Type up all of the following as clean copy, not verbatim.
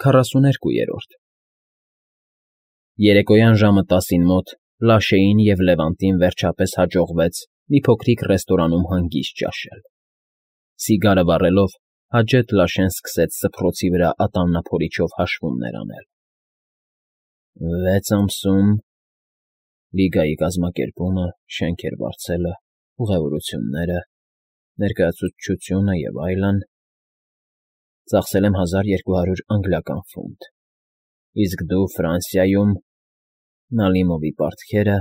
42-րդ Երեկոյան ժամը 10-ին մոտ Լաշեին և Լևանտին վերջապես հաջողվեց մի փոքրիկ ռեստորանում հանգիստ ճաշել։ Սիգարը վառելով, հաջետ Լաշեն սկսեց սփռոցի վրա ատամնափորիչով հաշվումներ անել։ 6 ամսում Լիգայի կազմակերպումը, շենքեր վարձելը, ուղևորությունները, ներկայացուցչությունը և այլն, ծախսել եմ 1200 անգլիական ֆունտ, իսկ դու Ֆրանսիայում Նալիմովի պարտքերը,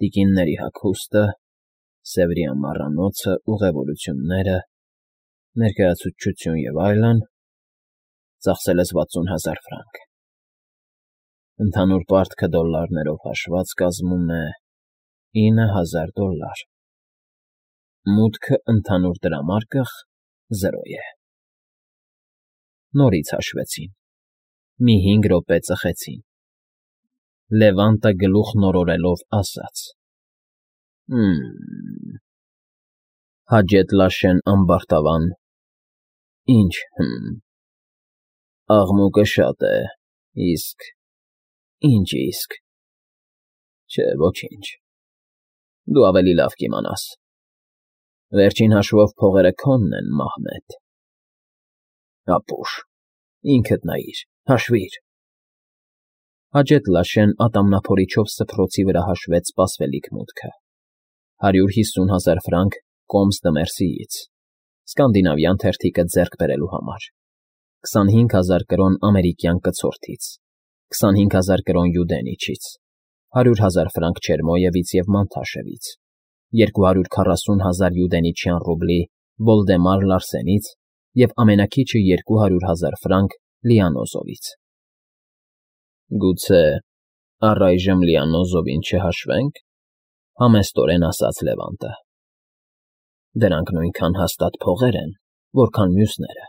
տիկինների հագուստը, Սևրի ամառանոցը, ուղևորությունները, ներկայացուցչություն և այլն, ծախսել ես 60,000 ֆրանկ, ընդհանուր պարտքը դոլարներով հաշված կազմում է $9,000, մուտքը ընդհանուր դրամարկղ 0 է։ Նորից հաշվեցին, մի 5 րոպե ծխեցին, Լևանտը գլուխ նորորելով ասաց. Հաջետ Լաշեն ամբարտավան. Ինչ, աղմուկը շատ է, իսկ, ինչ իսկ, չէ, ոչինչ, դու ավելի լավ կիմանաս, վերջին հաշվով փողերը քոնն են, Մահմեդ, ապուշ, ինքդ նայիր, հաշվիր։ Հաջետ Լաշեն ատամնափորիչով սփռոցի վրա հաշվեց սպասվելիք մուտքը. 150,000 ֆրանկ Կոմս դը Մերսիից, սկանդինավյան թերթիկը ձեռք բերելու համար, 25,000 կրոն ամերիկյան կցորդից, 25,000 կրոն Յուդենիչից, 100,000 ֆրանկ Չերմոյևից և Մանթաշևից, 240,000 յուդենիչյան ռուբլի Վոլդեմար Լարսենից և ամենաքիչը 200,000 ֆրանկ Լիանոզովից։ Գուցե առայժմ Լիանոզովին չհաշվենք, համեստորեն ասաց Լևանտը։ Դրանք նույնքան հաստատ փողեր են, որքան մյուսները։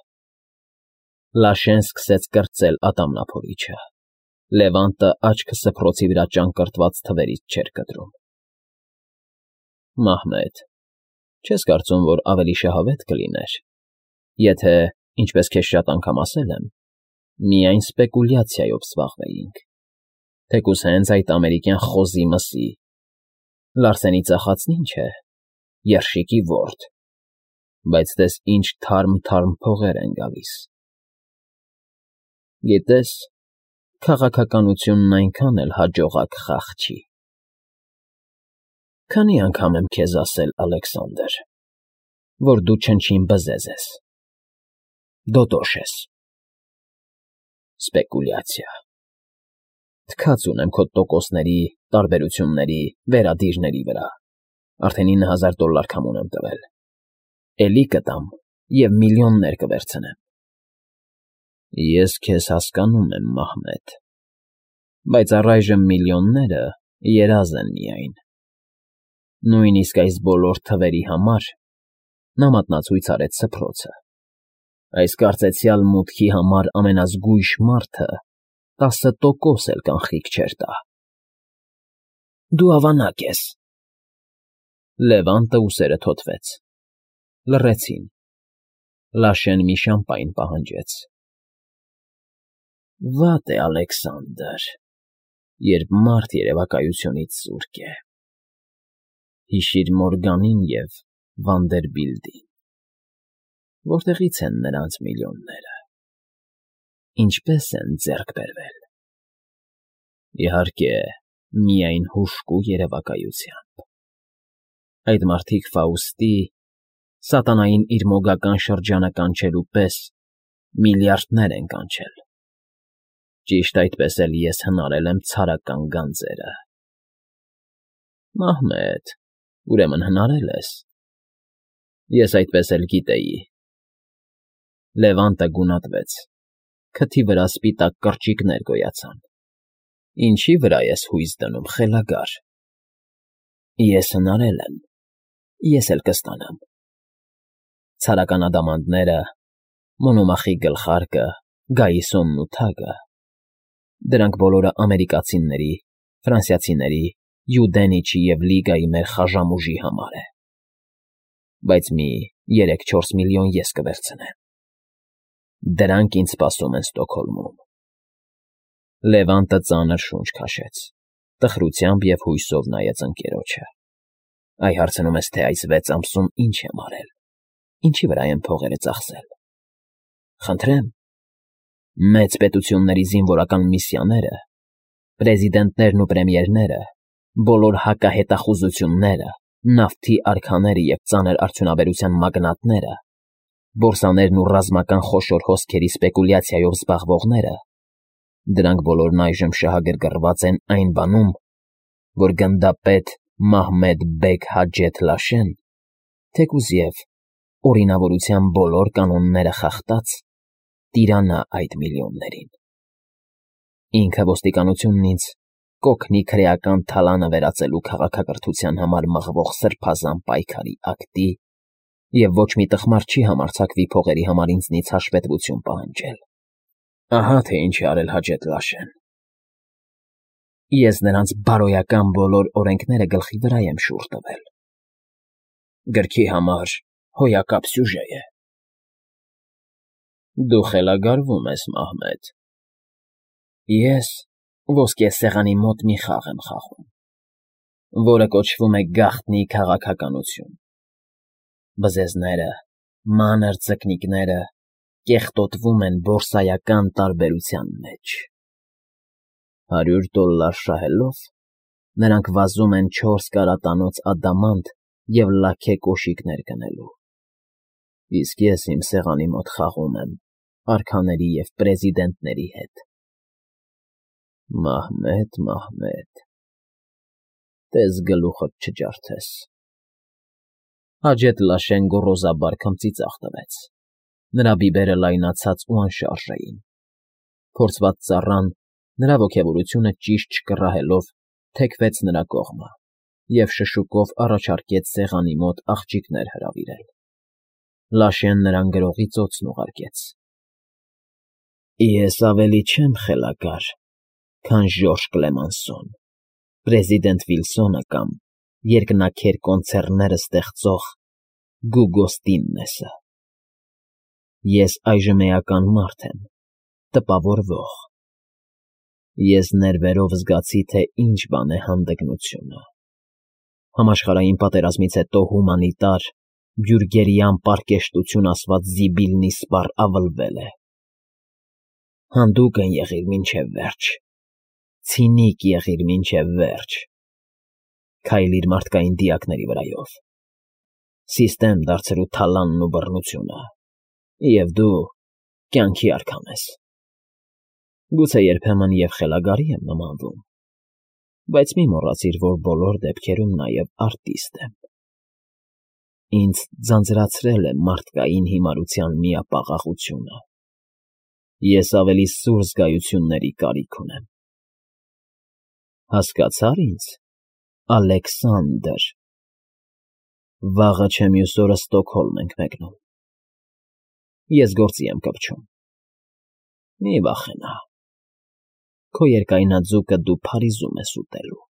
Լաշեն սկսեց կրծել ատամնափորիչը։ Լևանտը աչքը սփռոցի վրա ճանկռտված թվերից չէր կտրում։ Մահմեդ, չես կարծում, որ ավելի շահավետ կլիներ, եթե, ինչպես քեզ շատ անգամ ասել եմ, միայն սպեկուլյացիայով զբաղվեինք, թեկուզ հենց այդ ամերիկյան խոզի մսի, Լարսենի ծախածն ինչ է, երշիկի ворդ, բայց տես ինչ թարմ փողեր են գալիս։ Գիտես, քաղաքականությունն այնքան էլ հաջողակ խաղ չի։ Քանի անգամ եմ քեզ ասել, Ալեքսանդր, որ դու չնչին բզեզ ես, դոտոշ ես։ Սպեկուլյացիա։ Թքած ունեմ քո տոկոսների, տարբերությունների, վերադիրների վրա, արդեն $9,000 քամուն եմ տվել, էլի կտամ և միլիոններ կվերցնեմ։ Ես քեզ հասկանում եմ, Մահմեդ, բայց առայժմ միլիոնները երազ են միայն։ Նույնիսկ այս բոլոր թվերի համար նա մատնացույց արեց սփռոցը։ Այս կարծեցյալ մուտքի համար ամենազգույշ մարդը 10% էլ կանխիկ չէր տա։ Դու ավանակ ես։ Լևանտը ուսերը թոթվեց։ Լռեցին։ Լաշեն մի շամպայն պահանջեց։ Վատ է, Ալեքսանդր, երբ մարդ երևակայությունից զուրկ է։ Հիշիր Մորգանին և Վանդերբիլտին։ Որտեղի՞ց են նրանց միլիոնները։ Ինչպե՞ս են ձեռք բերվել։ Իհարկե, միայն հուժկու երևակայությամբ։ Այդ մարդիկ Ֆաուստի, սատանային իր մոգական շրջանը կանչելու պես միլիարդներ են կանչել։ Ճիշտ այդպես էլ ես հնարել եմ ցարական գանձերը։ Մահմեդ, ուրեմն հնարել ես։ Ես այդպես էլ գիտեի։ Լևանտը գունատվեց, քթի վրա սպիտակ կրճիկներ գոյացան։ Ինչի վրա ես հույս դնում, խելագար։ Ես հնարել եմ, ես էլ կստանամ։ Ցարական ադամանդները, Մոնոմախի գլխարկը, Գայիսոնն ու թագը, դրանք բոլորը ամերիկացիների, ֆրանսիացիների, Յուդենիչի և Լիգայի մեր խաժամուժի համար է։ Բայց մի 3-4 միլիոն ես կվերցնեմ։ Դրանք ինձ սպասում են Ստոկհոլմում։ Լևանտը ծանր շունչ քաշեց, տխրությամբ և հույսով նայեց ընկերոջը։ Այ հարցնում ես, թե այս 6 ամսում ինչ եմ արել, ինչի վրա եմ փողերը ծախսել։ Խնդրեմ, մեծ պետությունների զինվորական միսիաները, պրեզիդենտներն ու պրեմիերները, բոլոր հակահետախուզությունները, նավթի արքաները և ծանր արդյունաբերության մագնատները, բորսաներն ու ռազմական խոշոր հոսքերի սպեկուլյացիայով զբաղվողները, դրանք բոլորն այժմ շահագրգռված են այն բանում, որ գնդապետ Մահմեդ֊բեգ Հաջեթ Լաշեն, թեկուզ և օրինավորության բոլոր կանոնները խախտած, տիրանա այդ միլիոններին։ Ինքը ոստիկանությունն ինձ կօգնի քրեական թալանը վերածելու քաղաքակրթության համար մղվող սրբազան պայքարի ակտի և ոչ մի տխմար չի համարձակվի փողերի համար ինձնից հաշվետվություն պահանջել։ Ահա թե ինչ է արել Հաջեթ Լաշեն։ Ես նրանց բարոյական բոլոր օրենքները գլխի վրա եմ շուռ տվել։ Գրքի համար հոյակապ սյուժե է։ Դու խելագարվում ես, Մահմեդ։ Ես ոսկե սեղանի մոտ մի խաղ եմ խաղում, որը կոչվում է գաղտնի քաղաքականություն։ Բզեզները, մանր ձկնիկները կեղտոտվում են բորսայական տարբերության մեջ։ $100 շահելով նրանք վազում են 4 կարատանոց ադամանդ և լաքե կոշիկներ գնելու, իսկ ես իմ սեղանի մոտ խաղում եմ արքաների և պրեզիդենտների հետ։ Մահմեդ, Մահմեդ, տես գլուխդ չջարդես։ Հաջեթ Լաշեն գոռոզաբար քմծիծաղ տվեց։ Նրա բիբերը լայնացած ու անշարժ էին։ Փորձված ծառան, նրա ոգևորությունը ճիշտ չկռահելով, թեքվեց նրա կողմը և շշուկով առաջարկեց սեղանի մոտ աղջիկներ հրավիրել։ Լաշեն նրան գրողի ծոցն ուղարկեց։ Ես ավելի չեմ խելագար, քան Ժորժ Կլեմանսոն, պրեզիդենտ Վիլսոնը կամ երկնաքեր կոնցեռները ստեղծող Գուգո Ստիննեսը։ Ես այժմ էական մարդ եմ, տպավորվող։ Ես ներվերով զգացի, թե ինչ բան է հանդգնությունը։ Համաշխարհային պատերազմից հետո հումանիտար, բյուրգերյան պարկեշտություն ասված զիբիլն իսպառ ավլվել է։ Հանդուգն եղիր մինչև վերջ, ցինիկ եղիր մինչև վերջ, քայլիր մարդկային դիակների վրայով, սիստեմ դարձրու թալանն ու բռնությունը, և դու կյանքի արքան ես։ Գուցե երբեմն և խելագարի եմ նմանվում, բայց մի մոռացիր, որ բոլոր դեպքերում նաև արտիստ եմ։ Ինձ ձանձրացրել է մարդկային հիմարության միապաղաղությունը։ Ես ավելի սուր զգայությունների կարիք ունեմ։ Հասկացա՞ր ինձ, Ալեքսանդր։ Վաղը չէ մյուս օրը Ստոկհոլմ ենք մեկնում։ Ես գործի եմ կպչում։ Մի վախենա։ Քո երկայնաձուկը դու Փարիզում ես ուտելու։